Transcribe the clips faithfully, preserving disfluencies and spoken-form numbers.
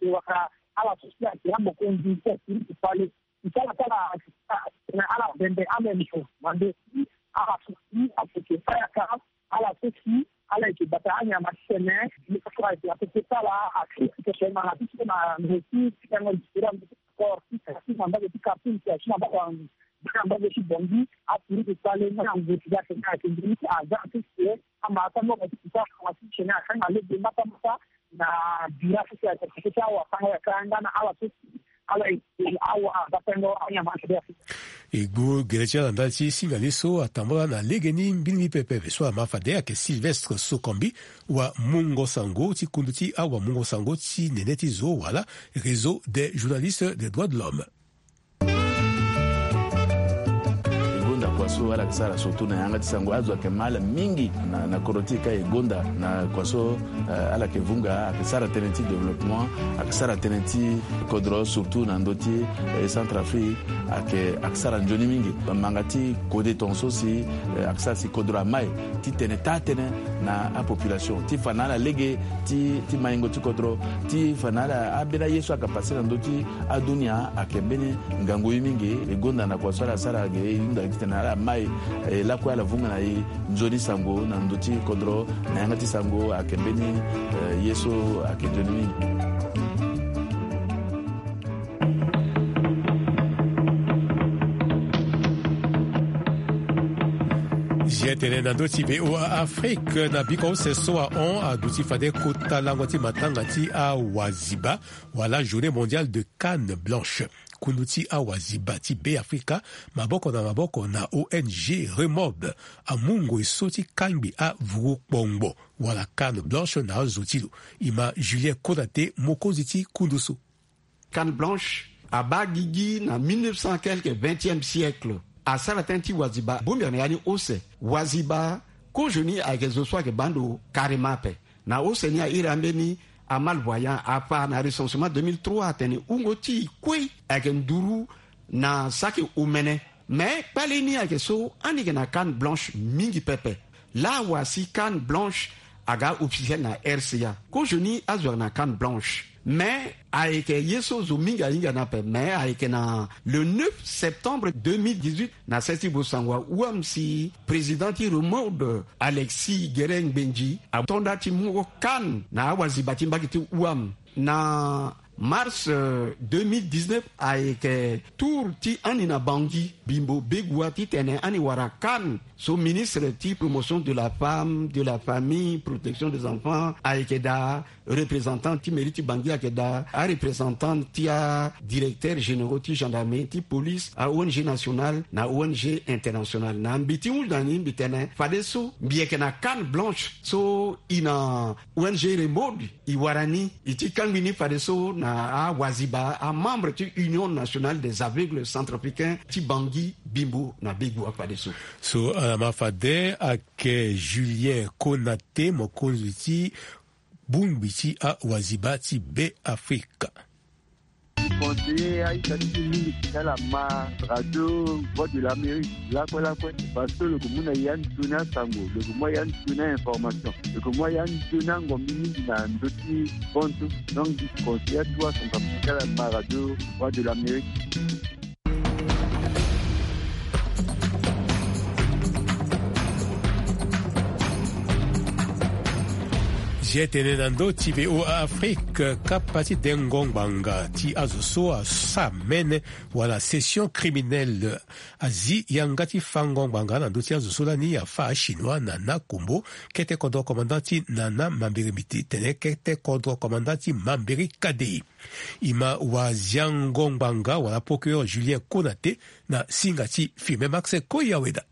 ayeke wara ala so si ayeke amokonzi ti akiri ti fale. Ti ala ti ala na ala bembe ameme so mande si ala so si ayeke fa yaka ala Ala yeke bata anyama ti tene, ni kue ayeke ape ti sara activité ti tene na ti so na ngu ti ti yango ti sara ngu ti sport ti tene ti na mbage ti Khartoum ti na mbage ti Bangui. Aturuku kpale nga na ngu ti ga tene ayeke ngu ti agent ti tene ama ata mbage ti kuta ama ti tene akanga lege mbata mbata na bira ti tene ti awa tanga ya kanga na ala so ala e awa abatango anyama ti tene. E gbu gere ti ala ndali ti singa ni so atambula na legeni mbeni mbi pepe so ama fade ayeke Sylvestre Sokombi, wamungo sango ti kundu ti awamungo sango ti nene ti zo wala Réseau des journalistes des droits de l'homme. E gonda kua so ala yeke sara surtout na yanga ti sango azo ayeke ma ala mingi na, na kodro ti e ka e gonda na kua so, eh, ala yeke vunga ayeke sara tënë ti développement, ayeke sara tënë ti kodro surtout na ndö ti, eh, Centrafrique, ayeke, ayeke sara nzoni mingi. Manga ti kode tongaso si, eh, ayeke sara si kodro amai ti tene taa tënë na apopulation ti fa na ala lege ti, ti maingo ti kodro, ti fa na ala ambeni aye so ayeke pase na ndö ti adunia ayeke mbeni ngangu ye mingi. E gonda na kua so ala sara ge e hunda titene ala mai, eh, lakue ala vunga na e nzoni sango na ndö ti kodro na yanga ti sango ayeke mbeni, eh, ye so ayeke nzoni mingi. Zia tene na ndö ti V O A Afrique na biko use so ahon aduti fade kota lango ti matanga ti awaziba wala Journée mondiale de canne blanche. Kundu ti awaziba ti Beafrika, maboko na maboko na O N G Remob, amu ngoi so ti kangbi avuru kpongbo wala canne blanche na azo ti lo. E ma Julien Konaté, mokonzi ti kundu so. Canne blanche abaa gigi na mille neuf cent quelque, vingtième siècle. Asara tënë ti waziba bongbi na ya ni use. Waziba kozo ni ayeke zo so ayeke baa ndo carrément ape. Na use ni a iri ambeni amalvoyant afa na recensement deux mille trois atene wungo ti e kue ayeke nduru na saki omene. Me kpale ni ayeke so ani yeke na canne blanche mingi pepe. Laa wa si canne blanche aga officiel na R C A. Kozo ni azo ayeke na canne blanche. Me ayeke ye so zo mingi ahinga ni ape. Me ayeke na le neuf septembre deux mille dix-huit na sese ti bosango ahuam si président ti Remob Alexis Guérin Ngbendji ato nda ti mu canne na awaziba ti mbage ti huam. Na mars, euh, deux mille dix-neuf ayeke tour ti ani na Bangui, Bimbo Begoua, titene ani wara canne so ministre ti promotion de la femme, de la famille, protection des enfants ayeke daa, représentant ti mairie ti Bangui ayeke daa, areprésentant ti adirecteur généraux ti gendarmerie, ti police, a O N G nationale na O N G internationale. Na mbi ti hunzi na ni mbi tene fadeso mbi yeke na canne blanche so e na O N G Remob e wara ni, e ti kangbi ni fadeso na awaziba, amembre ti Union nationale des aveugles centrafricains ti Bangui, Bimbo na Begoua fadeso. So, euh, ama fade ayeke Julien Konaté, mokonzi ti bongbi ti awaziba ti Beafrika. Conseiller a-ita ti e mingi ti ala ma radio Voix de l'Amérique lakue lakue, parce que lo yeke mu na e anzoni asango, lo yeke mu na e anzoni a-information, lo yeke mu na e anzoni angombi mingi na ndö ti bantu. Donc mbi conseiller atu acentrafricain ti ala ma radio Voix de l'Amérique. Zia tene na ndö ti V O A Afrique, kapa ti dengo ngbanga ti azo so asa mene wala session criminelle azi yanga ti fango ngbanga na ndö ti azo so lani afa achinois na Nakombo, kete kodro commandant ti Nana Mambéré Miti tene kete kodro commandant ti Mambéré Kadei. E ma waziango ngbanga wala procureur Julien Konaté na singa ti Firmin Max Koyaweda.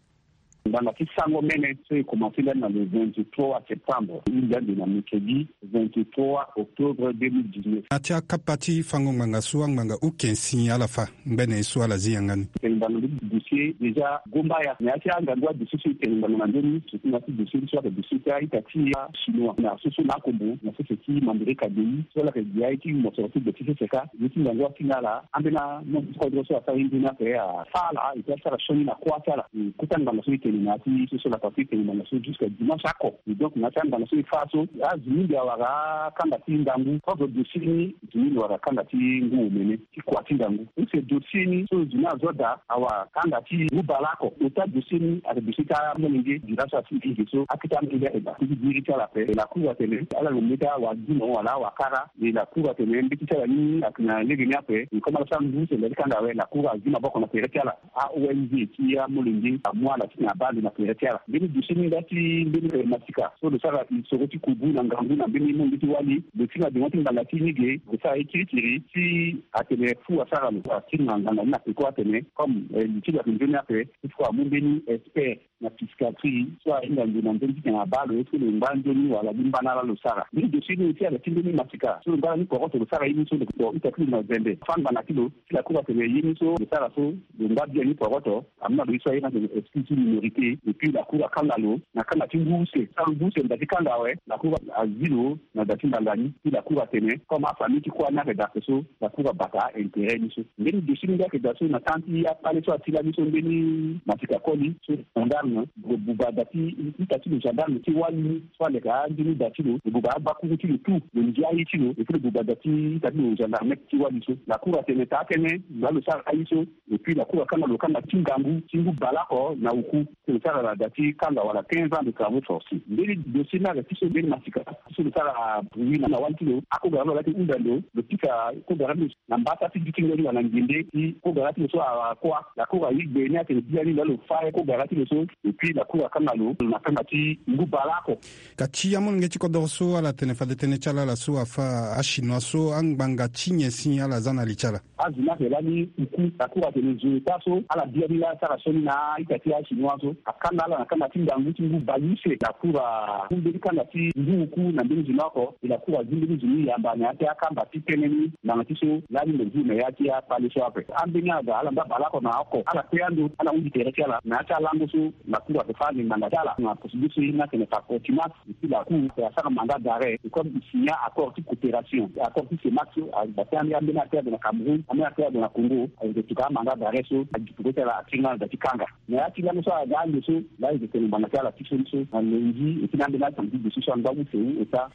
Ngbanga ti sango mene so e komanse ndani na le vingt-trois septembre, e hinga ande na mercredi vingt-trois octobre deux mille dix-neuf. Na ya ti akapa ti fango ngbanga so angbanga ukensi ala fa ngbene so ala zi yanga ni. Tene ngbanga ndö ti dossier déjà gomba ya. Na ya ti angangu adossier so e tene ngbanga na ndö ni, surtout na ya ti dossier ni so ayeke dossier ti a-ita ti achinois na so so na akombo na sese ti Mambéré Kadei so ala yeke gi aye ti mosoro ti gbe ti sese ka. Ye ti ngangu atinga ala ambeni amontre ti kodro so asara ye nzoni ape afa ala et puis asara sioni na kuâ ti ala. E kota ngbanga so e tene Na ya ti so so lakua ti tene ngbanga so jusqu'à dimanche oko. Et donc na ya ti angbanga so e fâ so azo mingi awara akanga ti ngangu. Kozo dossier ni zo mingi wara akanga ti ngu omene ti kua ti ngangu. Use dossier ni so zo ni azo daa awara akanga ti ngu baleoko. Ota dossier ni ayeke dossier ti amolenge. Dira so asi mingi so akete amolenge ayeke daa ti biri ti ala ape. La cour atene ala lo mbeti awagino wala awakara. Et la cour atene mbeti ti ala ni ayeke na lege ni ape. Et comme ala sara ngu use nda ti kanga awe, la cour azi maboko na tere ti ala. A-O N G ti amolenge amu ala ti tene abaa ndo na tere ti ala. Mbeni dossier ni nda ti mbeni masika so lo sara lisoro ti kubu na ngangu na mbeni molenge ti wali. Lo ti na dengo ti ngbanga ti ni ge lo sara ye kirikiri ti atene fou asara lo. Akiri na ngbanga ni na peko atene comme li ti lo ayeke nzoni ape, il faut amu mbeni expert na psychiatrie so ahinga ndo na nzoni ti tene abaa lo, est-ce que lo ngba nzoni wala li mbana laa lo sara. Mbeni dossier ni aussi ayeke ti mbeni masika so lo ngba na ni poroto lo sara ye ni so lo ita ti lo na zembe. Fâ ngbanga ti lo. Ti la cour atene ye ni so lo sara so lo ngba biani poroto. Amu na lo ye so aye ni atene excuse ti minorité. Et puis la cour akanga lo na kanga ti ngu use. Sara ngu use na da ti kanga awe. La cour azi lo na da ti ngbanga ni. Ti la cour atene comme afamille ti kuâ ni ayeke daa ape so, la cour abata intérêt ni so. Mbeni dossier ni nde ayeke daa so na temps ti akpale so asi lani so mbeni masika koli so gendarme lo buba da ti ita ti lo gendarme ti wali so aleke anzoni da ti lo. Lo buba abakuru ti lo tout, lo ndia aye ti lo. Et puis lo buba da ti ita ti lo gendarme ti wali so. La cour atene taa tënë laa lo sara aye so. Et puis la cour akanga lo kanga ti ngangu ti ngu baleoko na oku. Ti lo sara na da ti kanga wala quinze ans de travaux forcés. Mbeni dossier ni ayeke ti so mbeni masika ti so lo sara bruit na wali ti lo. Akogara ni lo laa ti hunda ndo lo pika kogara ni lo na mbata ti duti ngoi wala ngende ti kogara ti lo so akuâ. La cour aye gbe ni atene biani laa lo fâ kogara ti lo so. Et puis la cour akanga lo na kanga ti ngu baleoko. Ka ti amolenge ti kodoro so ala tene fade tënë ti ala ala so afâ achinois so angbanga ti nyen si ala za na li ti ala. Azo ni ayeke lani oku. La cour atene zo ota so ala biani laa asara sioni na a-ita ti achinois so. Akanga ala na kanga ti ngangu ti ngu baleuse. La cour amu mbeni kanga ti ngu oku na mbeni zo ni oko. Et la cour azi mbeni zo ni yamba na ya ti akamba ti tënë ni ngbanga ti so lani lo zi na ya ti akpale so ape. Ambeni aga ala ngba baleoko na oko ala kue ando ala hunzi tere ti ala na ya ti alango so. La cour ayeke fâ ande ngbanga ti ala na procédure so ye ni atene par contumace. Et puis la cour asara mandat d'arrêt. Et comme e signa accord ti coopération, accord ti CEMAC so, abati ambeni affaire ado na Cameroun, ambeni affaire ado na Congo, ayeke tuka amandat d'arrêt so. Agi peko ti ala atiri nga na da ti kanga. Na ya ti lango so aga ande so laa e yeke tene ngbanga ti ala ti so ni so na lundi. Et puis na ambeni asango ti dossier so angba use wu ota.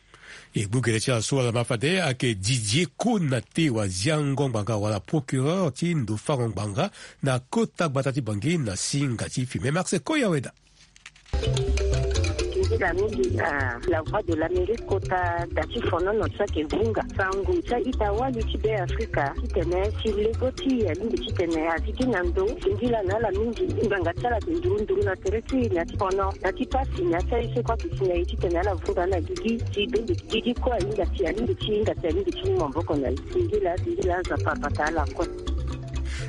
E gbu gere ti ala so ala ma fade ayeke Didier Konaté waziango ngbanga wala procureur ti ndo fango ngbanga na kota gbata ti Bangui na singa ti filme Max Koyaweda. Nzila mingi na La Voix de l'Amérique kota da ti fonono ti ayeke vunga sango ti a-ita wali ti Be Afrika titene si lego ti e alingbi titene azi gi na ndo singila na ala mingi. Ngbanga ti ala ayeke nduru nduru na tere ti e na ti fono na ti pasi na ya ti aye so kue ayeke si na e titene ala vunga ala gigi ti bembe gigi kue ahinga si alingbi ti hinga si alingbi ti mu maboko na e. Singila singila Nzapa abata ala kue.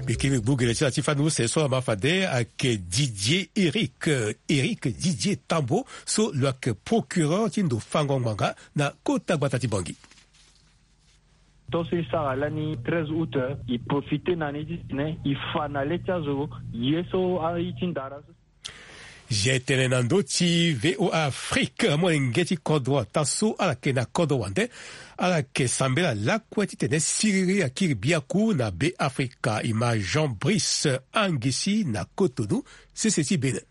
Mbi kiri gbu gere ti ala ti fani use so ama fade ayeke Didier Eric, Eric Didier Tambo so lo yeke procureur ti ndo fango ngbanga na kota gbata ti Bangui. Tongaso e sara lani treize août, e profite na ni titene e fa na le ti azo ye so aye ti ndara so. Zia e tene na ndö ti V O A Afrique, molenge ti kodro ataa so ala yeke na kodro wande ala yeke sambela lakue titene siriri akiri biaku na Be Afrika. E ma Jean Brice Angisi na Cotonou, sese ti Bénin.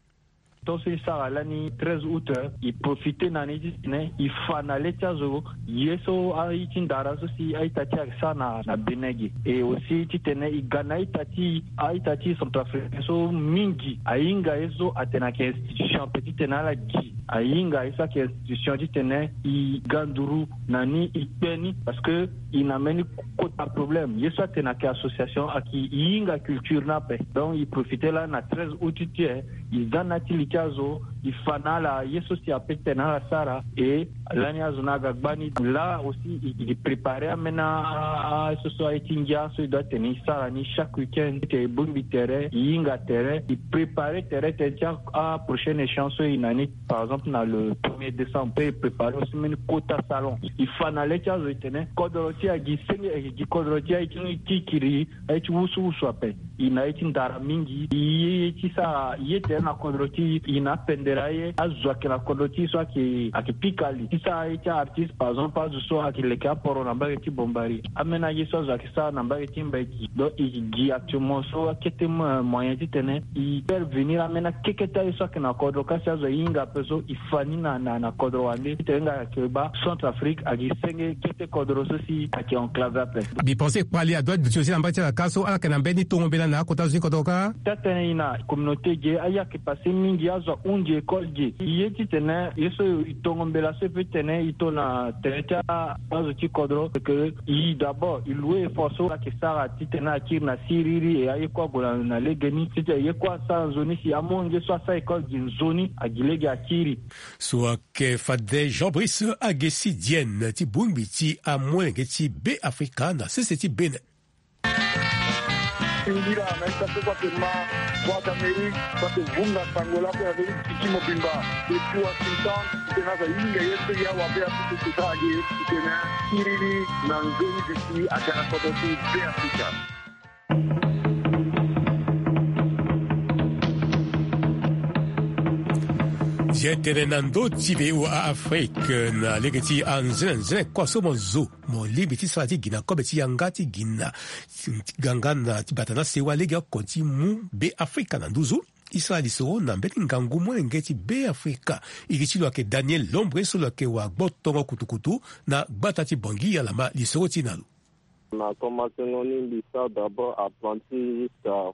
Tongaso e sara lani treize août, e profite na ni titene e fa na le ti azo ye so aye ti ndara so si a-ita ti e ayeke sara na, na Bénin ge. E aussi titene e ga na a-ita ti, a-ita ti centrafricain so mingi ahinga ye so atene ayeke institution ape titene ala gi. Ahinga ye so ayeke institution titene e ga nduru na ni, e kpe ni, parce que e na mbeni kota problème. Ye so atene ayeke association ayeke e hinga culture ni ape. Donc e profite lani na treize août ti e, e za na ya ti li ti azo, e fa na ala ye so si ape titene ala sara. E lani azo ni aga gbani. Laa aussi e, e prépare ambeni a, a, so so aye ti ngia so e doit tene e sara ni chaque week-end. Titene e bongbi tere, e hinga tere, e prépare tere tene ti a, a prochaine échéance so e na ni, par exemple na le premier décembre, pe e prépare aussi mbeni kota salon. E fa na le ti azo e tene kodro ti e agi senge, e gi kodro ti e aye ti kiri, aye ti wusuwusu ape. E na ye ti ndara mingi. E ye, ye ti sara ye tere na kodro ti e, e na apende Aye azo ayeke na kodro ti e so ayeke ayeke pika li ti sara aye ti a-artiste, par exemple azo so ayeke leke aporo na mbage ti Bombari. Ameni aye so azo ayeke sara na mbage ti Mbaiki. Donc e gi actuellement so akete moyen titene e faire venir ameni akekete aye so ayeke na kodro kasi azo ahinga ape so e fa ni na na na kodro wande titene nga ayeke baa Centrafrique ayeke senge kete kodro so si ayeke enclave ape. Mbi pense kpali adoit duti aussi na mbage ti ala ka so ala yeke na mbeni tongo mbela na akota zo ti kodro kâ. Tëtënë e na communauté ge aye ayeke passé mingi azo ahunzi école ge. E ye titene ye so e tongo mbela so e peut titene e to na tere ti azo ti kodro ke e d'abord e loue effort so ala yeke sara titene akiri na siriri e aye kue ague na legeni titene ye kue asara nzoni si amolenge so asara école ge nzoni agi lege akiri. So ayeke fade Jean Brice Agesi Dienne ti bongbi ti amolenge ti Be Afrika na sese ti Bénin. Singila na ye kâ so kue ayeke ma Voix d'Amérique so ayeke vunga sango lakue na ndö ti piki mobimba depuis Washington. Titene azo ahinga ye so e awabe apupu so sara ge titene akiri ni na nzoni duti aga na kodro ti Be Afrika. Ye tene na ndö ti V O A Afrique na lege ti anzenze nzenze kua so mo zo mo lingbi ti sara ti gi na kobe ti yanga ti gi na ti ganga na ti bata na sewa lege oko ti mu Be Afrika na nduzu. E sara lisoro na mbeni ngangu molenge ti Be Afrika. Iri ti lo ayeke Daniel Lombre so lo yeke wa gbotongo kutukutu na gbata ti Bangui ala ma lisoro ti e na lo. Na komansengo ni mbi sara d'abord apprenti jusqu'à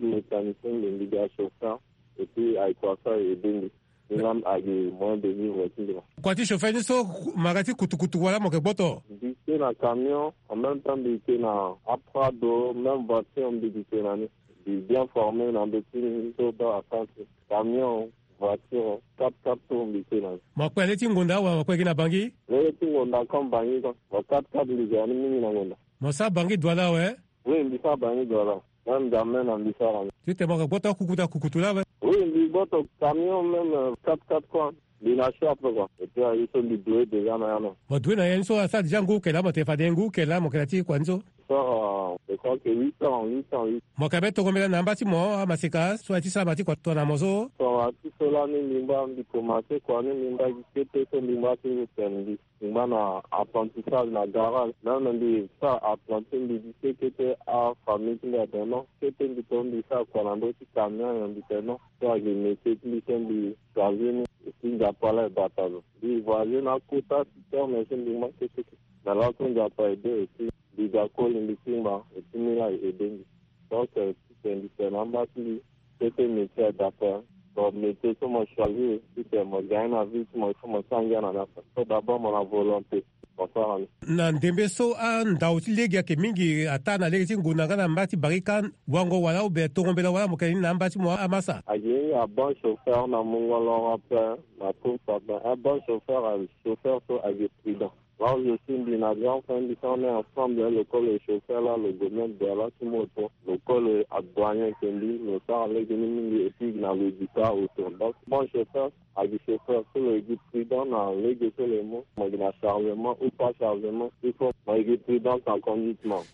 mécanicien, mbi mbi ga chauffeur et puis ayeke wasa e aidé mbi. Ni laa agi moyen de vivre ti mbi laa. Kua ti chauffeur ni so ma ga ti kutukutu wala mo yeke gboto? Mbi ke na camion, en même temps mbi ke na aprado, même voiture mbi ke na ni. Mbi bien formé na ndö ti ni so baa asara ti camion, voiture, quatre-quatre tours mbi ke na ni. Mo kpe le ti ngonda awe, mo kpe gi na Bangui? Le ti ngonda comme Bangui quoi. Mo quatre-quatre mbi ga ni mingi na ngonda. Mo sara Bangui Douala awe? Oui, mbi sara Bangui Douala. Même N'Djamena mbi sara ni. Titene mo yeke gboto akukutu akukutu laa awe? Oui, mbi gboto camion même, euh, quatre-quatre quoi. Mbi na chaud ape quoi. Et puis aye so mbi doue déjà na ya non. Mo doue na ya ni so asara déjà ngu eke laa mo tene fade ngu eke laa mo yeke na ti kua ni so? Sara, je crois que huit ans, huit ans, huit. Mo yeke be tongo mbela na amba ti mo amaseka so aye ti sara ma ti kua tongana mo so? Tongana ti so lani mbi ngba mbi komanse kua ni mbi ngba gi kete so mbi ngba ti ngu tene mbi. Mbi ngba na apprentissage na garage. Même mbi sara apprenti mbi gi kete afamille ti mbi atene non. Kete mbi to mbi sara kua na ndö ti camion nyen mbi tene non. So agi métier ti mbi so mbi choisir ni. Et puis Nzapa laa e bata lo. Mbi voyager na akota ti terme so mbi ngba kete. Na laso Nzapa aidé et puis mbi ga koli mbi ti ngba et puis ni laa e aidé mbi. Donc, euh, titene mbi tene na amba ti mbi, kete métier adapté. Bon, métier so mo choisir, titene mo gagner na vie ti mo, il faut mo sara ngia na ni ape. So d'abord mo na volonté, mo sara ni. Na ndembe so andau ti lege ayeke mingi ataa na lege ti ngonda nga na mba ti barika, wango wala ou bien tongo mbela wala mo yeke ni na amba ti mo amasa? Agi ni, un bon chauffeur na mungo loro ape, na course ape. Un bon chauffeur, un chauffeur so agi prudent. Là où je suis, mbi na grand frère mbi so on est ensemble, hein, lo kue lo chauffeur là, lo gue même Douala ti moto, lo kue lo adouane ayeke mbi, lo sara lege ni mingi, et puis na lo duka autour. Donc bon chauffeur agi chauffeur so lo egi prudent na lege so lo mu, mo gi na chargement ou pas chargement, il faut mo egi prudent na conduite mo.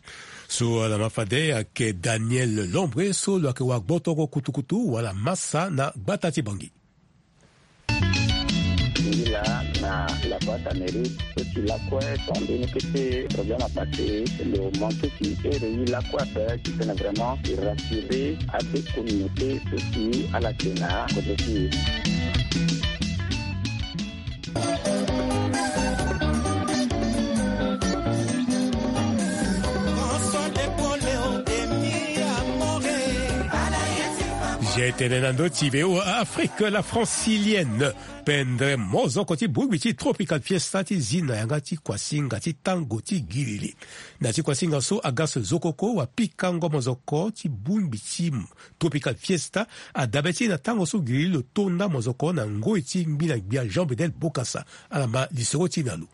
So ala ma fade ayeke Daniel Lombre so lo yeke wa gbotoko kutukutu wala masa na gbata ti Bangui. Ngi laa na la Voix d'Amérique so ti lakue, so ambeni kete problème apassé, lo manqué ti ere ye lakue ape titene vraiment e rassurer abe communauté so ti ala yeke na kodro ti e. Ye tene na ndö ti V O A Afrique, la francilienne. Pendre mozoko ti bongbi ti Tropical Fiesta ti zi na yanga ti kuasinga ti tango ti giriri. Na ti kuasinga so aga so zokoko wa pikango mozoko ti bongbi ti Tropical Fiesta adabe ti e na tango so giriri lo tonda mozoko na ngoi ti ngbina gbia Jean Bedel Bokassa. Ala ma lisoro ti e na lo.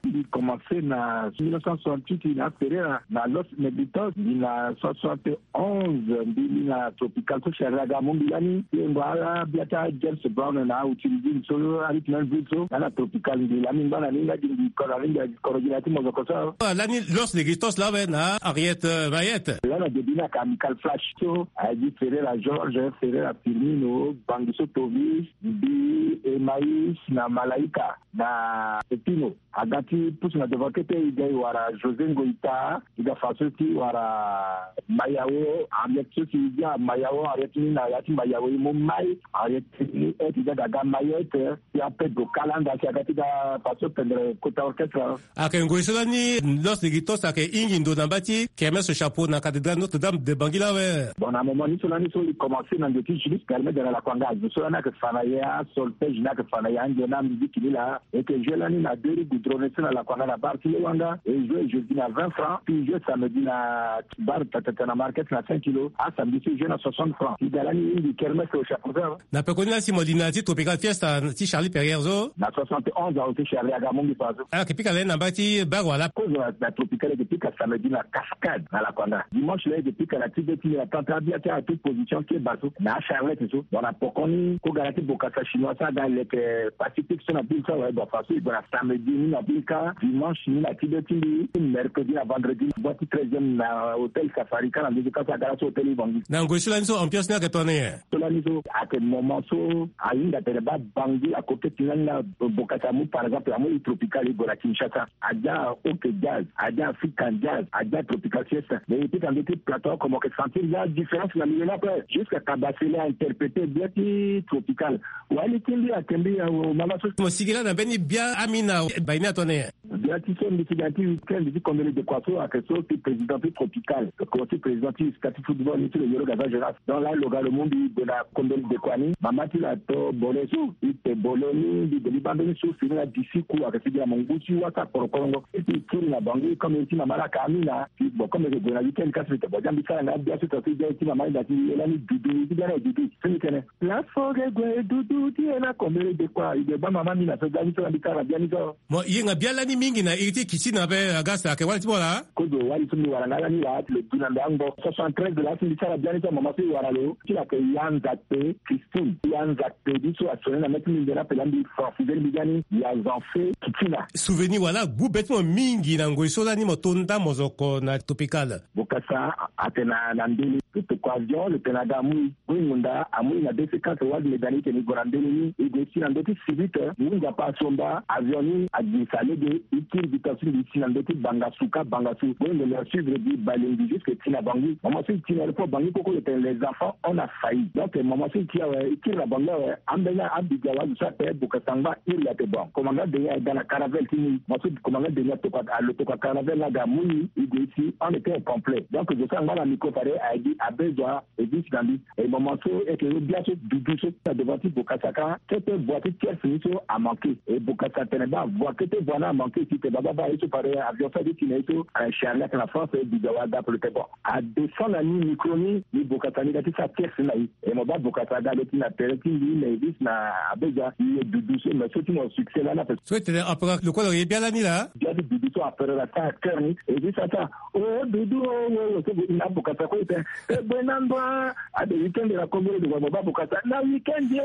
Mbi commencé na mille neuf cent soixante-huit na Ferreira na Los Negritos, mbi na soixante-onze mbi li na Tropical so Charly aga amu mbi lani. Ye ngba ala bia ti James Brown na utiliser so Richmond Ville so, nga na Tropical mbi lani ngba na ni nga gi mbi koro ni mbi koro gi na ti mozoko so. Lani Los Negritos la awe na Henriette Mayette. Lana début na ka Amical Flash so aye gi Ferreira Georges, Ferreira Firmino, Bangi so Tovis, mbi Emmaüs na Malaika na Pepino. Aga ti pusu na devant kete, e ga e wara José Ngoita, e ga fa so ti wara Mayao Henriette so si e ga Mayao Henriette ni na ya ti Mayao e mu mai Henriette ni e ti ga ga ga Mayette. Ya Pedro Calanda si aga ti ga fa so pendre kota orchestre. Ayeke ngoi so lani Los Negritos ayeke hingi ndo na mba ti kermesse chapeau na cathédrale Notre-Dame de Bangui la awe. Bon, na moment ni so lani so e commencé na nze ti Julius Galmeda na Lakuanga, azo so lani ayeke fa na ye asolfège ni ayeke fa na ye ange na musique ni laa. E yeke joué lani na deux rues goudronnées so na Lakuanga na bar ti Lewanga. E joué jeudi na vingt francs, puis joué samedi na bar Tatata na market na cinq kilos. Asamedi so e joué na soixante francs. E ga lani e hingi kermesse au chapeau. Na pekoni la si mo li na ya ti Tropical Fiesta ti Charly Perrier so. Na soixante-onze awe so Charly aga amu mbi fa so. Ala yeke pika lani na mba ti bar wala? Kozo na Tropical e yeke pika samedi na Cascade na Lakuanga. Dimanche la e yeke pika na ti be ti mbi na tente abia ti atout position keba so na Charlette so. Bon, na pokoni ko ga na ti bokasa chinois so aga leke Pacifique so na ville so awe. Bon, fa so e gue na samedi ni na ville ka, dimanche ni na ti be ti mbi, mercredi na vendredi boîte ti treizième na hôtel Safari ka na ndö ti ka so aga laso hôtel Ivangi. Na ngoi so lani so ambiance ni ayeke tongana nyen? So lani so ayeke moment so ahinga tene baa Bangui akoketi ni lani na bokasa amu par exemple amu i Tropical e gue na Kinshasa. Adia OK Jazz, adia African Jazz, adia Tropical Fiesta. Mais e pika ndö ti plateau oko mo yeke sentir ya différence na milieu ni ape. Jusqu'à Kabasele a interpréter bien ti Tropical. Wali ti mbi ayeke mbi awe mama so. Mo sigi lani na mbeni bia amina baini atone. Bia ti so mbi ti ga ti week-end ti Kombele de Kua so ayeke so ti président ti Tropical, ko ti président ti sta ti football ni ti lo yoro Gaza Jonas. Donc la lo ga lo mu mbi gue na Kombele de Kua ni, mama ti lo ato bole so, e te bole ni, mbi gue mbi baa mbeni so fini na disi ku ayeke sigi na mo ngu ti wasa korokorongo. E ti kiri na Bangui comme e ti mama laka amina. Puis bon, comme e yeke gue na week-end kasi mbi tene bon, dia mbi sara nga bia so tonga so e dia e ti mama e da ti e lani dudu, e ti bia na e dudu. So mbi tene place fo ge gue dudu ti e na Kombele de Kua, e gue baa mama amina so ga ni so na mbi sara bia ni so. Mo yenga bia lani mingi na iri ti Kitina ape, Augustin, ayeke wali ti mo laa? Kozo wali so mbi wara nga lani laa ti lo du na mbi angbo. Soixante-treize laa si mbi sara bia ni so mama so e wara lo ti lo ayeke ya Nzakpe Christine. Ya Nzakpe ni so asone na mê ti mbi nzoni ape laa mbi francise ni mbi ga ni ya Zanfe Kitina. Souvenir wala gbu be ti mo mingi na ngoi so lani mo to nda mozoko na Tropical? Bokasa atene na ndele lo toko avion lo tene aga amu e. Goi ngunda amu e na deux cent quatre wala mbi ga ni e tene e gue na ndele ni e gue e si na ndö ti sivite. Ngu Nzapa asomba avion ni agirisa lege e kiri gi tonga so mbi si na ndö ti Bangasuka Bangasu. Goi ngunda asuivre gi Balingui jusque e ti na Bangui. Moment so e ti na aéroport Bangui koko lo tene les enfants on a failli. Donc moment so e ti awe e kiri na Bangui awe ambeni abiga wa zo so ape Bokasa angba iri ate bon. Commandant Denis aga na caravelle ti ni. Moment so commandant Denis atoko alo toko caravelle ni aga amu ni e gue e si on était au complet. Donc zo so angba na micro fade aye gi abe zo a. E gi si na mbi. E moment so e yeke yo bia so dudu so na devant ti Bokasa ka kete voie ti tierce ni so amanke. E Bokasa atene baa voie kete voie ni amanke si te baa baa baa ye so fade avion so ade ti na ye so. Charlie ayeke na France e biga wa aga pelo te bon. Adescend na ni micro ni ni Bokasa ni ga ti sara tierce ni na ye. E mo baa Bokasa aga lo ti na tere ti mbi na e gi si na abe zo a ye dudu so mais so ti mo succès lani ape. So e tene ape lo kue lo ye bia lani laa. Bia ti dudu so ape lo la sara cœur ni e gi si ata. O dudu o o o so na Bokasa kue e tene. E gue na ndo a ade weekend na Kombele de Kua mo baa Bokasa na weekend ye.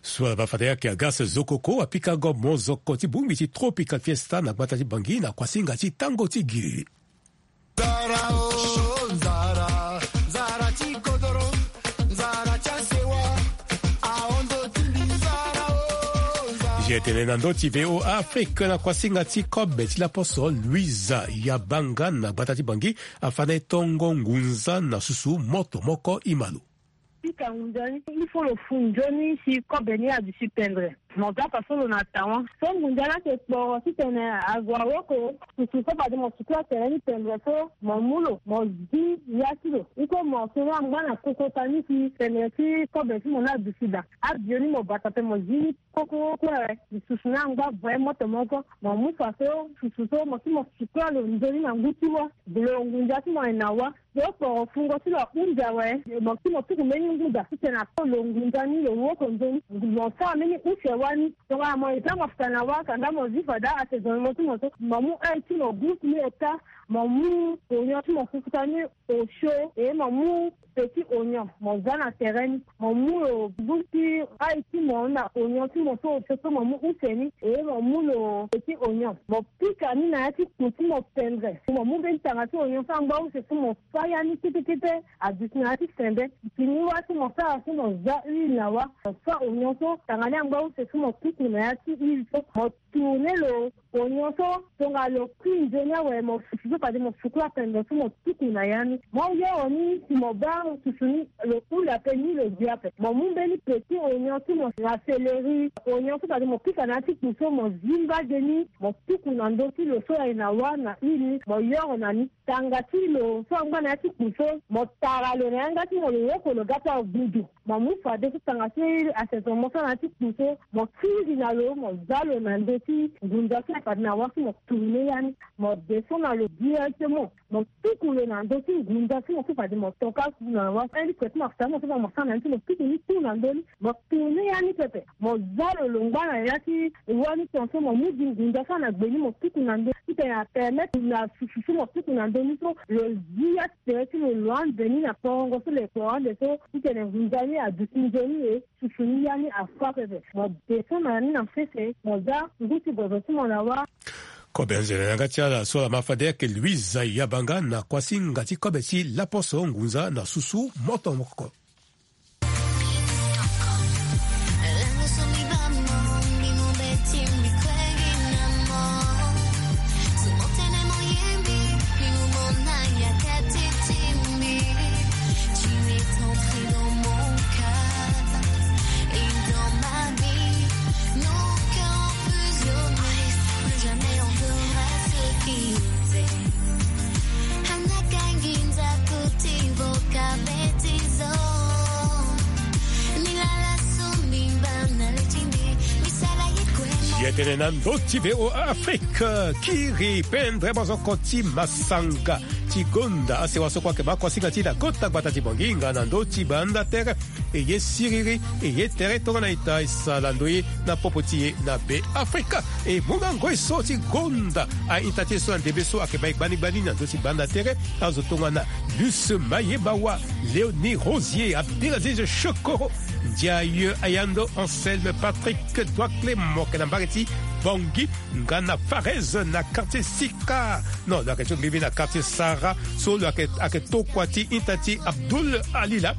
So ala baa fade ayeke Augustin Zokoko apika go mozoko ti bongbi ti Tropical Fiesta na gbata ti Bangui na kuasinga ti tango ti giri. Nzara o nzara, nzara ti kodoro, nzara ti asewa. Ahon ndo ti mbi nzara o nzara. Ye tene na ndö ti V O A Afrique na kuasinga ti kobe ti laposo Louisa Yabanga na gbata ti Bangui afa na e tongo ngunza na susu moto moko e ma lo. Pika ngunza ni il faut lo fu nzoni si kobe ni aduti pendre. Mo ga fa so lo na tawa so ngunza ni ayeke kporo titene ague awoko. Susu so fade mo suku atere ni pendre so mo mu lo mo zi ya ti lo. Iko mo so ni angba na kokota ni si pendre ti kobe ti mo ni aduti daa. Abio ni mo bata pe mo zi ni koko kue. Susu ni angba voye moto moko mo mu fa so susu so mo si mo suku alo nzoni na ngu ti wa. Lo ngunza ti mo ayeke na wa. Lo kporo fungo ti lo ahunzi awe. Mo si mo tuku mbeni ngu daa titene ato lo ngunza ni lo woko nzoni. Mo sara mbeni use wa. Ani tongana mo eza mafuta na wa kanda mo zi fada asaisonnement ti mo so, mo mu ail ti mo gousse ni ota, mo mu oignon ti mo fufuta ni osio, e mo mu petit oignon mo za na tere ni. Mo mu lo gousse ti ail ti mo na oignon ti mo so osio so, mo mu use ni, e mo mu lo petit oignon mo pika ni na ya ti kpo ti mo pendre. Mo mu mbeni tanga ti oignon so angba use so mo fa ya ni kete kete aduti na ya ti sembe. Fini wa so mo sara so mo za huile na wa, mo fa oignon so, tanga ni angba use so mo tuku na ya ti huile so, mo tourner lo oignon so. Tongana lo kui nzoni awe, mo susu so fade mo suku apendre so mo tuku na ya ni. Mo yoro ni si mo baa susu ni, lo hula ape ni lo gi ape. Mo mu mbeni petit oignon ti mo na céleri, oignon so fade mo pika na ya ti kpo so, mo zi mbage ni mo tuku na ndö ti lo so aye na wa na huile ni, mo yoro na ni. Tanga ti lo so angba na ya ti kpo so, mo tara lo na yanga ti mo, lo woko lo ga ti agbudu. Mo mu fadeso tanga ti asaisonement so na ya ti kpo so, mo kiri na lo, mo za lo na ndö ti ngunza so fade na wa so mo tourner ya ni. Mo descend na lo directement, mo tuku lo na ndö ti ngunza so mo so fade mo toka na wa. Mbeni kue ti mafuta mo so fade mo sara na ni so, mo tuku ni tout na ndö ni. Mo tourner ya ni pepe, mo za lo longba na ya ti wa ni tongaso, mo mu gi ngunza so na gbe ni mo tuku na ndö ni. Titene apermettre na susu so mo tuku na ndö ni so, lo zi ya ti tere ti lo, lo ande ni na porongo so lo yeke ande so, titene ngunza ni aduti nzoni e susu ni ya ni afa pepe. Mo descend na ni na sese, mo za ngu ti gozo ti mo na wa. Kobe anzere na yanga ti ala so ala ma fade ayeke Louise Yabanga na kuasinga ti kobe ti laposo ngunza na susu moto mokoko. Ye tene na ndö ti V O A Afrique, kiri pendre bozoko ti masanga ti gonda asewa so kue ayeke ma kuasinga ti na kota gbata ti Bongi nga na ndö ti banda tere. E ye siriri, e ye tere tongana ita e sara na ndo ye na popo ti e na Be Afrika. E mu na ngoi so ti gonda a-ita ti e so na ndembe so ayeke ma e gbani gbani na ndö ti banda tere, azo tongana Luce Mayebawa, Léonie Rosier, Abdelaziz Chokoro, Ndiaye Ayando, Anselme Patrick Douakle, mo yeke na mbage ti Bangui, nga na Farez na quartier Sika. Non, lo yeke ti ngbingbi na quartier Sara so lo yeke, ayeke tokua ti ita ti Abdoul Alila.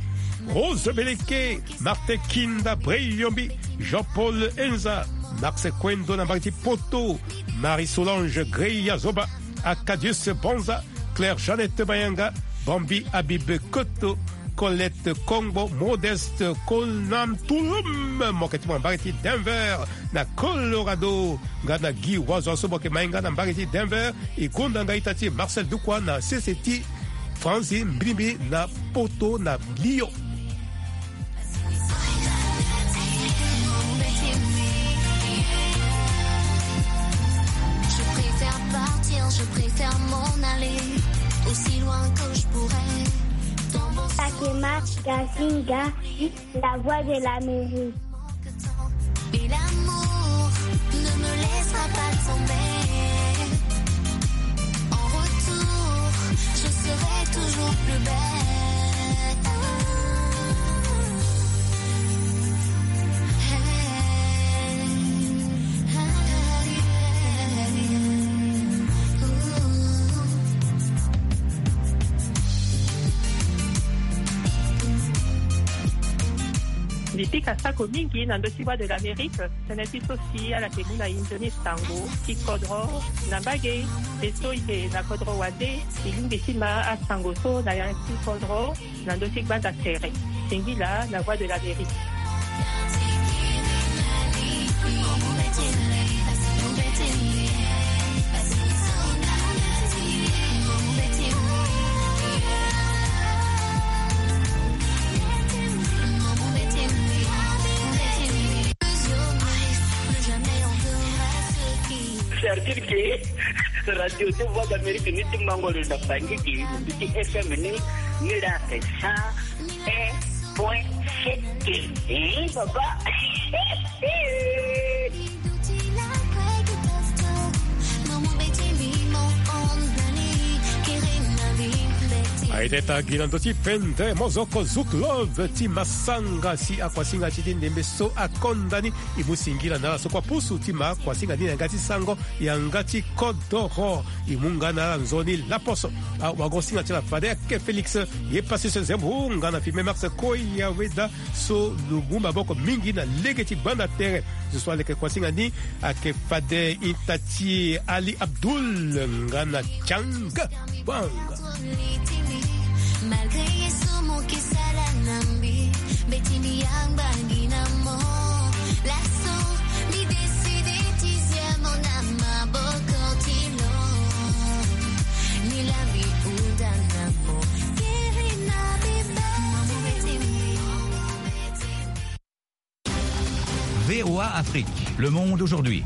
Rose Beleke, Martin Kinda Breyombi, Jean-Paul Enza, Max Kwendo na mbage ti Poto, Marie Solange Greya Zoba, Acadius Banza, Claire Jeannette Mayanga, Bambi Habib Koto, Colette Kongbo, Modeste Konam Tulum, mo yeke ti mo na mbage ti Denver na Colorado, nga na Guy Wazo so mo yeke ma e nga na mbage ti Denver. E gonda nga ita ti Marcel Dukwa na sese ti France, mbilimbi na Poto na Lyon. Je préfère partir, je préfère m'en aller aussi loin que je pourrais. Fatima Gazinga, la voix de l'Amérique. Et l'amour ne me laissera pas tomber. En retour, je serai toujours plus belle. Mbi pika sako mingi na ndö ti Voix de l'Amérique. Tënë ti so si ala yeke mu na e nzoni sango ti kodro na mbage. E so e yeke na kodro wande, e lingbi ti ma asango so na ya ti kodro na ndö ti gbanda tere. Singila na Voix de l'Amérique. Certitude que radio ti Voix d'Amérique ni ti mango lo na Bangui gi, mbi ti F M ni, ni la ake cent un point six. Papa. Aye teta gi na ndö ti pende mozoko Zouk Love ti Massanga si akuasinga ti ti ndembe so akonda ni. E mu singila na ala so kue apusu ti ma akuasinga ni na yanga ti sango yanga ti kodoro. E mu nga na ala nzoni laposo. Awagosinga ti ala fade ake Félix ye Pasience Zembo nga na filme Max Koya Weda so lo mu maboko mingi na lege ti gbanda tere. Zo so aleke kuasinga ni ayeke fade ita ti Ali Abdul nga na Chang Bang. Malgré ye so mo ke sala na mbi, mbeti mbi yangba ngi na mo. Laso mbi décide ti zia mo na maboko ti lo. Ni la mbi hunda na mo. Kiri na mbi ba. V O A Afrique, le monde aujourd'hui.